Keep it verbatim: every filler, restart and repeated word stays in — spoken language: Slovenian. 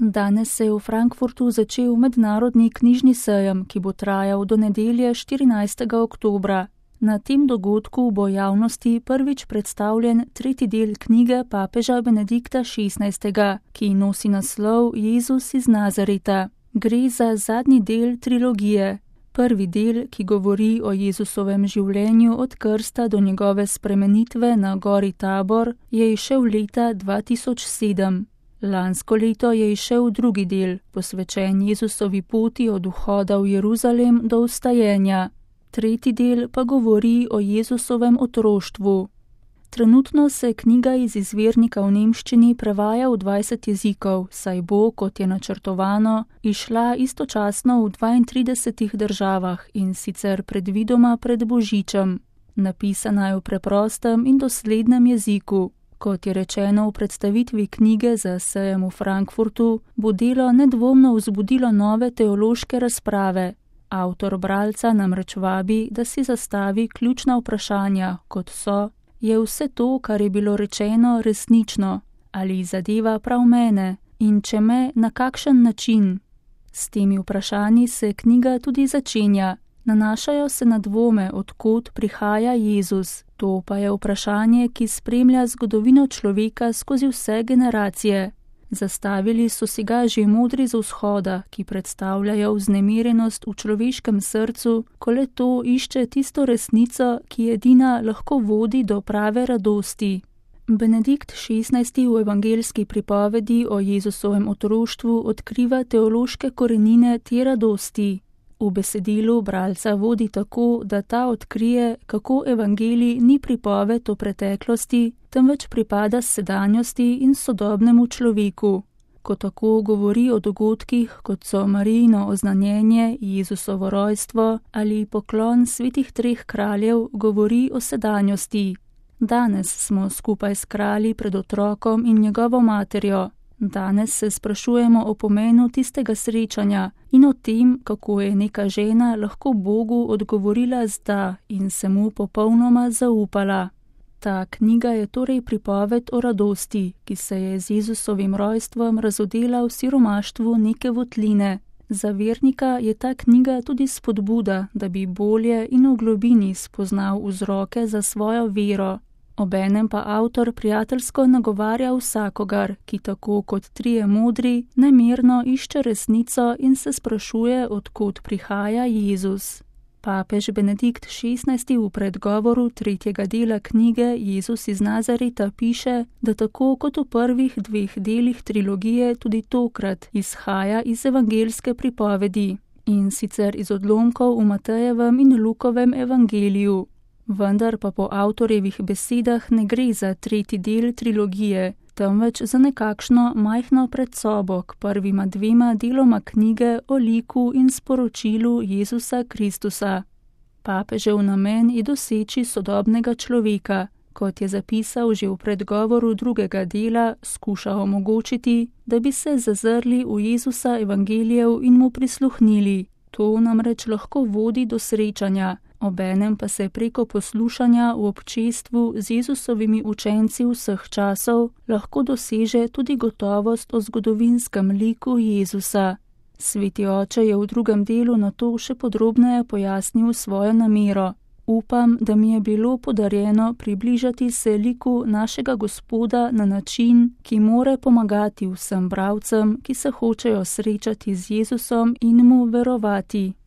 Danes se je v Frankfurtu začel mednarodni knjižni sejem, ki bo trajal do nedelje štirinajstega oktobra. Na tem dogodku bo javnosti prvič predstavljen tretji del knjige papeža Benedikta šestnajstega, ki nosi naslov Jezus iz Nazareta. Gre za zadnji del trilogije. Prvi del, ki govori o Jezusovem življenju od krsta do njegove spremenitve na gori Tabor, je izšel leta dva tisoč sedem. Lansko leto je izšel drugi del, posvečen Jezusovi poti od vhoda v Jeruzalem do vstajenja. Tretji del pa govori o Jezusovem otroštvu. Trenutno se knjiga iz izvirnika v nemščini prevaja v dvajset jezikov, saj bo, kot je načrtovano, izšla istočasno v dvaintridesetih državah in sicer predvidoma pred Božičem. Napisana je v preprostem in doslednem jeziku. Kot je rečeno v predstavitvi knjige za sejem v Frankfurtu, bo delo nedvomno vzbudilo nove teološke razprave. Avtor bralca namreč vabi, da si zastavi ključna vprašanja, kot so: je vse to, kar je bilo rečeno, resnično? Ali zadeva prav mene? In če me, na kakšen način? S temi vprašanji se knjiga tudi začenja. Nanašajo se na dvome, od kod prihaja Jezus. To pa je vprašanje, ki spremlja zgodovino človeka skozi vse generacije. Zastavili so si ga že modri z vzhoda, ki predstavljajo vznemirjenost v človeškem srcu, ko le to išče tisto resnico, ki edina lahko vodi do prave radosti. Benedikt šestnajsti v evangeljski pripovedi o Jezusovem otroštvu odkriva teološke korenine te radosti. V besedilu bralca vodi tako, da ta odkrije, kako evangelij ni pripoved o preteklosti, temveč pripada sedanjosti in sodobnemu človeku. Ko tako govori o dogodkih, kot so Marijino oznanjenje, Jezusovo rojstvo ali poklon svetih treh kraljev, govori o sedanjosti. Danes smo skupaj s kralji pred otrokom in njegovo materjo. Danes se sprašujemo o pomenu tistega srečanja in o tem, kako je neka žena lahko Bogu odgovorila z da in se mu popolnoma zaupala. Ta knjiga je torej pripoved o radosti, ki se je z Jezusovim rojstvom razodela v siromaštvu neke votline. Za vernika je ta knjiga tudi spodbuda, da bi bolje in v globini spoznal vzroke za svojo vero. Obenem pa avtor prijateljsko nagovarja vsakogar, ki tako kot trije modri, nemirno išče resnico in se sprašuje, od kod prihaja Jezus. Papež Benedikt šestnajsti v predgovoru tretjega dela knjige Jezus iz Nazareta piše, da tako kot v prvih dveh delih trilogije tudi tokrat izhaja iz evangeljske pripovedi, in sicer iz odlomkov v Matejevem in Lukovem evangeliju. Vendar pa po avtorjevih besedah ne gre za tretji del trilogije, temveč za nekakšno majhno predsobo k prvima dvema deloma knjige o liku in sporočilu Jezusa Kristusa. Papežev namen je doseči sodobnega človeka, kot je zapisal že v predgovoru drugega dela, skuša omogočiti, da bi se zazrli v Jezusa evangelijev in mu prisluhnili. To namreč lahko vodi do srečanja, obenem pa se preko poslušanja v občestvu z Jezusovimi učenci vseh časov lahko doseže tudi gotovost o zgodovinskem liku Jezusa. Sveti oče je v drugem delu na to še podrobneje pojasnil svojo namero. Upam, da mi je bilo podarjeno približati se liku našega Gospoda na način, ki more pomagati vsem bralcem, ki se hočejo srečati z Jezusom in mu verovati.